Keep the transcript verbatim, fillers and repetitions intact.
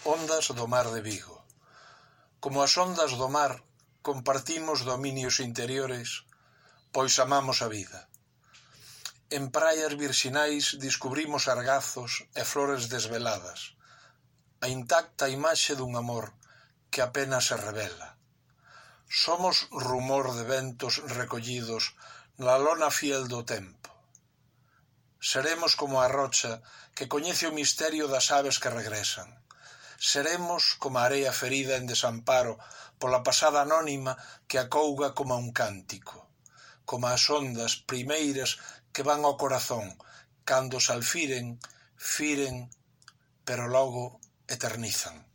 Ondas do mar de Vigo. Como as ondas do mar, compartimos dominios interiores, pois amamos a vida. En praias virxinais descubrimos argazos e flores desveladas, a intacta imaxe dun amor que apenas se revela. Somos rumor de ventos recollidos na lona fiel do tempo. Seremos como a rocha que coñece o misterio das aves que regresan. Seremos como a area ferida en desamparo pola pasada anónima que acouga como un cántico, como as ondas primeiras que van ao corazón, cando se alfiren, firen, pero logo eternizan.